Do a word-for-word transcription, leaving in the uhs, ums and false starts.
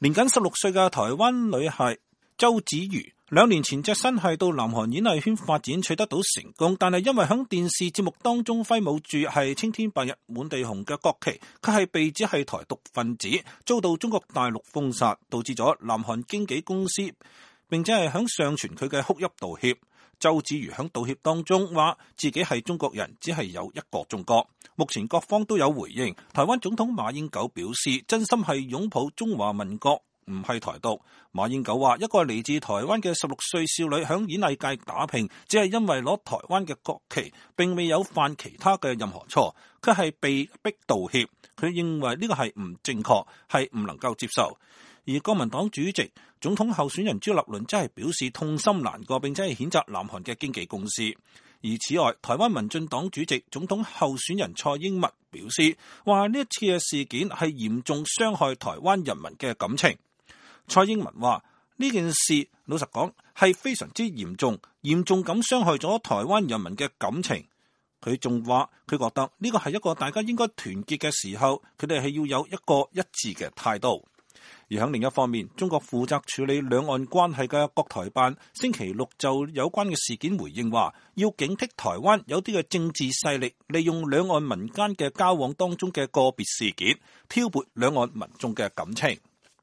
年僅十六歲嘅台灣女孩周子瑜，兩年前隻身係到南韓演藝圈發展，取得到成功，但係因為響電視節目當中揮舞住係青天白日滿地紅嘅國旗，佢係被指係台獨分子，遭到中國大陸封殺，導致咗南韓經紀公司並且係響上傳佢嘅哭泣道歉。周子瑜響道歉當中話自己係中國人，只係有一個中國。目前各方都有回應，台灣總統馬英九表示真心係擁抱中華民國，唔係台獨。馬英九話一個嚟自台灣嘅十六歲少女響演藝界打拼，只係因為攞台灣嘅國旗，並未有犯其他嘅任何錯，佢係被逼道歉。佢認為呢個係唔正確，係唔能夠接受。而國民黨主席、總統候選人朱立倫真係表示痛心難過，並且係譴責南韓嘅經紀公司。而此外，台灣民進黨主席、總統候選人蔡英文表示，話呢一次嘅事件係嚴重傷害台灣人民嘅感情。蔡英文話呢件事老實講係非常之嚴重，嚴重咁傷害咗台灣人民嘅感情。佢仲話佢覺得呢個係一個大家應該團結嘅時候，佢哋係要有一個一致嘅態度。而喺另一方面，中國負責處理兩岸關係嘅國台辦星期六就有關嘅事件回應話，要警惕台灣有啲嘅政治勢力利用兩岸民間嘅交往當中嘅個別事件，挑撥兩岸民眾嘅感情。